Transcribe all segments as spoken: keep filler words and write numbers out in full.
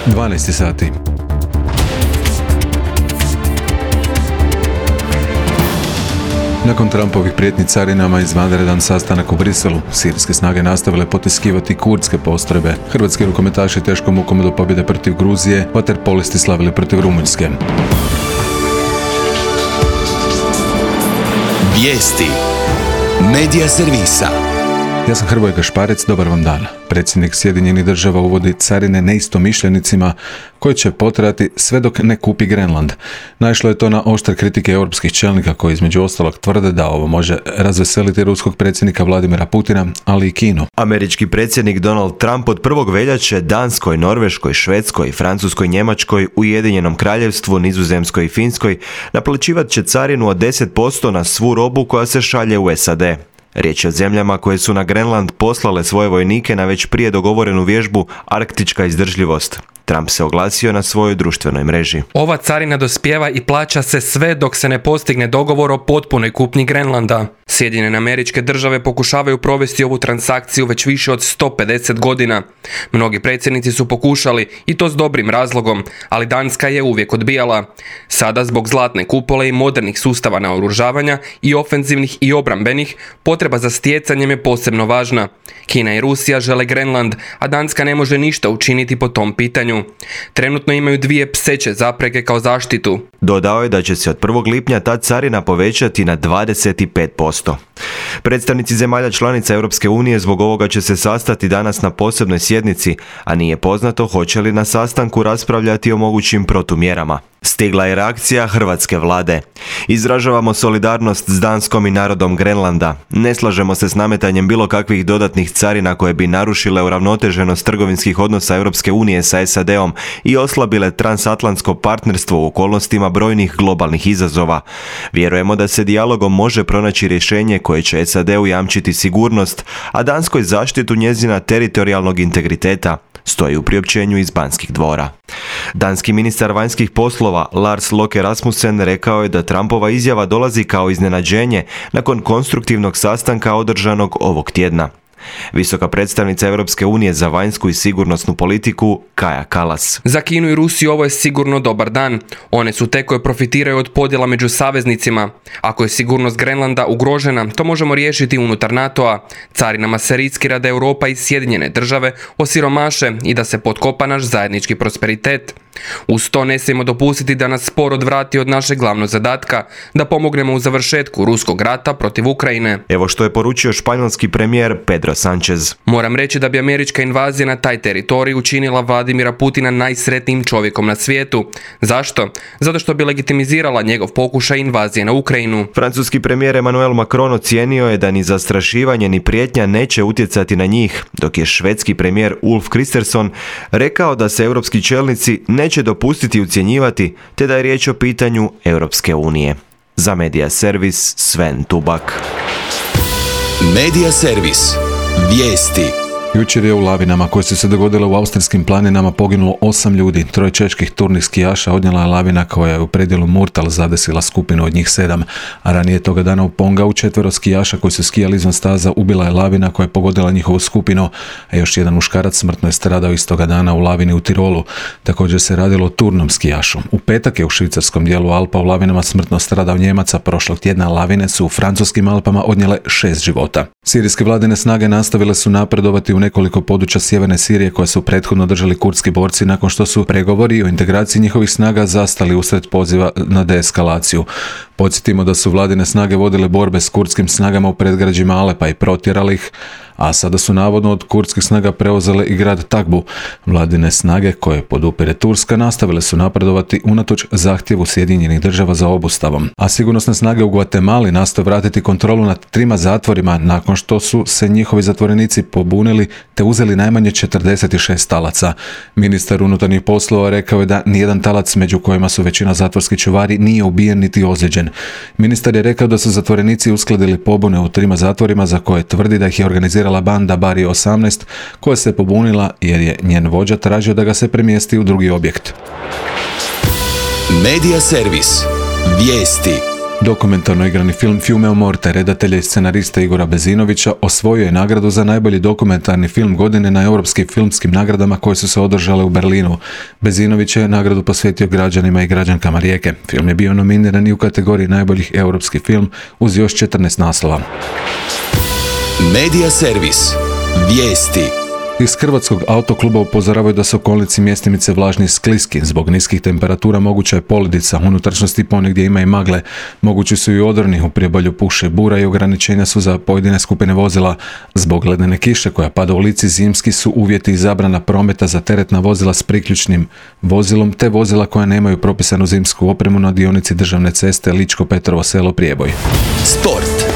dvanaest sati. Nakon Trumpovih prijetnji carinama izvanredan sastanak u Briselu, sirijske snage nastavile potiskivati kurdske postrojbe. Hrvatski rukometaši teškom mukom do pobjede protiv Gruzije, vaterpolisti slavili protiv Rumunjske. Vijesti Medija servisa. Ja sam Hrvoje Gašparec, dobar vam dan. Predsjednik Sjedinjenih država uvodi carine neistomišljenicima koji će potrajati sve dok ne kupi Grenland. Naišlo je to na oštre kritike europskih čelnika koji između ostalog tvrde da ovo može razveseliti ruskog predsjednika Vladimira Putina, ali i Kinu. Američki predsjednik Donald Trump od prvog veljače Danskoj, Norveškoj, Švedskoj, Francuskoj, Njemačkoj, Ujedinjenom Kraljevstvu, Nizozemskoj i Finskoj naplaćivat će carinu od deset posto na svu robu koja se šalje u S A D. Riječ je o zemljama koje su na Grenland poslale svoje vojnike na već prije dogovorenu vježbu Arktička izdržljivost. Trump se oglasio na svojoj društvenoj mreži. Ova carina dospijeva i plaća se sve dok se ne postigne dogovor o potpunoj kupnji Grenlanda. Sjedinjene Američke Države pokušavaju provesti ovu transakciju već više od sto pedeset godina. Mnogi predsjednici su pokušali, i to s dobrim razlogom, ali Danska je uvijek odbijala. Sada zbog zlatne kupole i modernih sustava naoružavanja i ofenzivnih i obrambenih, potreba za stjecanjem je posebno važna. Kina i Rusija žele Grenland, a Danska ne može ništa učiniti po tom pitanju. Trenutno imaju dvije pseće zapreke kao zaštitu. Dodao je da će se od prvog lipnja ta carina povećati na dvadeset pet posto. Predstavnici zemalja članica Europske unije zbog ovoga će se sastati danas na posebnoj sjednici, a nije poznato hoće li na sastanku raspravljati o mogućim protumjerama. Stigla je reakcija hrvatske vlade. Izražavamo solidarnost s Danskom i narodom Grenlanda. Ne slažemo se s nametanjem bilo kakvih dodatnih carina koje bi narušile uravnoteženost trgovinskih odnosa Europske unije sa S A D-om i oslabile transatlantsko partnerstvo u okolnostima brojnih globalnih izazova. Vjerujemo da se dijalogom može pronaći rješenje koje će S A D-u jamčiti sigurnost, a Danskoj zaštitu njezina teritorijalnog integriteta, stoji u priopćenju iz Banskih dvora. Danski ministar vanjskih poslova Lars Løkke Rasmussen rekao je da Trumpova izjava dolazi kao iznenađenje nakon konstruktivnog sastanka održanog ovog tjedna. Visoka predstavnica Europske unije za vanjsku i sigurnosnu politiku Kaja Kallas. Za Kinu i Rusiju ovo je sigurno dobar dan. One su te koje profitiraju od podjela među saveznicima. Ako je sigurnost Grenlanda ugrožena, to možemo riješiti unutar NATO-a. Carinama se riskira da Europa i Sjedinjene države osiromaše i da se potkopa naš zajednički prosperitet. Uz to ne smijemo dopustiti da nas spor odvrati od našeg glavnog zadatka, da pomognemo u završetku ruskog rata protiv Ukrajine. Evo što je poručio španjolski premijer Pedro Sánchez. Moram reći da bi američka invazija na taj teritorij učinila Vladimira Putina najsretnijim čovjekom na svijetu. Zašto? Zato što bi legitimizirala njegov pokušaj invazije na Ukrajinu. Francuski premijer Emmanuel Macron ocijenio je da ni zastrašivanje ni prijetnja neće utjecati na njih, dok je švedski premijer Ulf Kristersson rekao da se europski čelnici neće dopustiti ucjenjivati, te da je riječ o pitanju Europske unije. Za Medija servis Sven Tubak. Medija servis. Vijesti. Jučer je u lavinama koje su se dogodile u austrijskim planinama poginulo osam ljudi. Troje čeških turnih skijaša odnijela je lavina koja je u predjelu Murtal zadesila skupinu od njih sedam, a ranije toga dana u Pongau četvero skijaša koji su skijali izvan staza ubila je lavina koja je pogodila njihovu skupinu, a još jedan muškarac smrtno je stradao istoga dana u lavini u Tirolu. Također se radilo o turnom skijašu. U petak je u švicarskom dijelu Alpa u lavinama smrtno stradao Njemac, a prošlog tjedna lavine su u francuskim Alpama odnijele šest života. Sirijske vladine snage nastavile su napredovati u nekoliko područja sjeverne Sirije koje su prethodno držali kurdski borci nakon što su pregovori o integraciji njihovih snaga zastali usred poziva na deeskalaciju. Podsjetimo da su vladine snage vodile borbe s kurdskim snagama u predgrađima Alepa i protjerali ih, a sada su navodno od kurdskih snaga preuzele i grad Takbu. Vladine snage koje podupire Turska nastavile su napredovati unatoč zahtjevu Sjedinjenih država za obustavom. A sigurnosne snage u Guatemali nastoje vratiti kontrolu nad trima zatvorima nakon što su se njihovi zatvorenici pobunili te uzeli najmanje četrdeset šest talaca. Ministar unutarnjih poslova rekao je da nijedan talac, među kojima su većina zatvorskih čuvari, nije ubijen niti ozlijeđen. Ministar je rekao da su zatvorenici uskladili pobune u trima zatvorima za koje tvrdi da ih je organizirala banda Bari osamnaest koja se pobunila jer je njen vođa tražio da ga se premjesti u drugi objekt. Medija servis. Vijesti. Dokumentarno igrani film Fiume o morte redatelja i scenarista Igora Bezinovića osvojio je nagradu za najbolji dokumentarni film godine na europskim filmskim nagradama koje su se održale u Berlinu. Bezinović je nagradu posvetio građanima i građankama Rijeke. Film je bio nominiran i u kategoriji najboljih europski film uz još četrnaest naslova. Medija servis. Vijesti. Iz Hrvatskog autokluba upozoravaju da su okolnici Mjestimice vlažni i skliski. Zbog niskih temperatura moguća je poledica, unutrašnjosti ponegdje ima i magle. Mogući su i odroni, u priobalju puše bura i ograničenja su za pojedine skupine vozila. Zbog ledene kiše koja pada u lici zimski su uvjeti i zabrana prometa za teretna vozila s priključnim vozilom te vozila koja nemaju propisanu zimsku opremu na dionici državne ceste Ličko-Petrovo selo Prijeboj. Sport.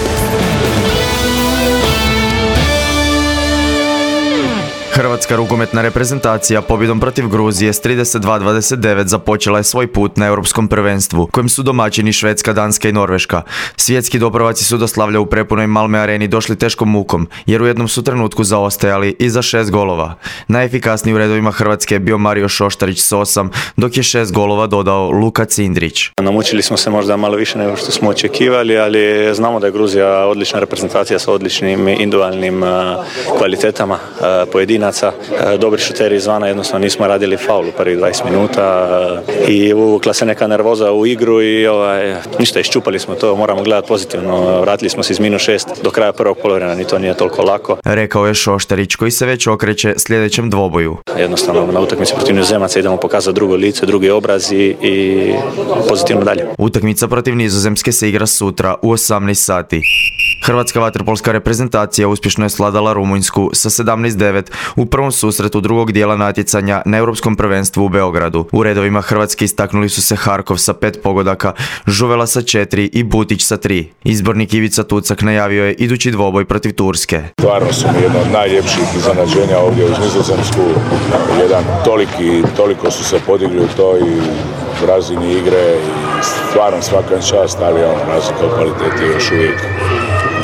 Hrvatska rukometna reprezentacija pobjedom protiv Gruzije s trideset dva dvadeset devet započela je svoj put na europskom prvenstvu, kojem su domaćini Švedska, Danska i Norveška. Svjetski doprvaci su do slavlja u prepunoj Malme areni došli teškom mukom, jer u jednom su trenutku zaostajali i za šest golova. Najefikasniji u redovima Hrvatske je bio Mario Šoštarić s osam, dok je šest golova dodao Luka Cindrić. Namučili smo se možda malo više nego što smo očekivali, ali znamo da je Gruzija odlična reprezentacija sa odličnim individualnim kvalitetama pojedinaca. Dobri šuteri izvana, jednostavno nismo radili faul u prvih dvadeset minuta i uvukla se neka nervoza u igru i ovaj, ništa, iščupali smo to, moramo gledati pozitivno. Vratili smo se iz minus šest do kraja prvog poluvremena, ni to nije toliko lako. Rekao je Šoštarić, koji se već okreće sljedećem dvoboju. Jednostavno na utakmici protiv Nizozemaca idemo pokazati drugo lice, drugi obraz i, i pozitivno dalje. Utakmica protiv Nizozemske se igra sutra u osamnaest sati. Hrvatska vaterpolska reprezentacija uspješno je svladala Rumunjsku sa sedamnaest devet u prvom susretu drugog dijela natjecanja na europskom prvenstvu u Beogradu. U redovima Hrvatske istaknuli su se Harkov sa pet pogodaka, Žuvela sa četiri i Butić sa tri. Izbornik Ivica Tucak najavio je idući dvoboj protiv Turske. Stvarno su mi jedno od najljepših iznenađenja ovdje uz Nizozemsku. Jedan toliki, toliko su se podigli u toj razini igre i stvarno svaka čast, ali ono, razlika u kvaliteti je još uvijek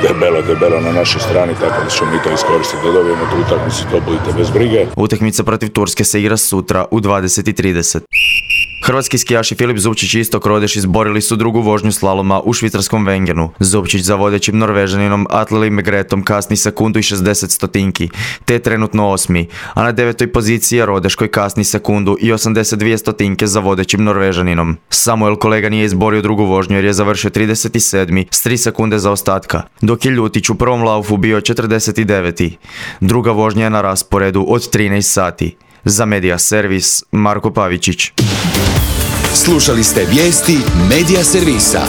debelo, debelo na našoj strani, tako da ćemo mi to iskoristiti da dobijemo tu utakmicu, to budite bez brige. Utakmica protiv Turske se igra sutra u dvadeset i trideset. Hrvatski skijaši Filip Zupčić i Istok Rodeš izborili su drugu vožnju slaloma u švicarskom Wengenu. Zupčić za vodećim Norvežaninom Atleli Megretom kasni sekundu i šezdeset stotinki, te je trenutno osmi, a na devetoj poziciji je Rodeš koji kasni sekundu i osamdeset dvije stotinke za vodećim Norvežaninom. Samuel Kolega nije izborio drugu vožnju jer je završio trideset sedmi s tri sekunde za ostatka, dok je Ljutić u prvom laufu bio četrdeset deveti. Druga vožnja je na rasporedu od trinaest sati. Za Medija servis Marko Pavičić. Slušali ste vijesti Medija servisa.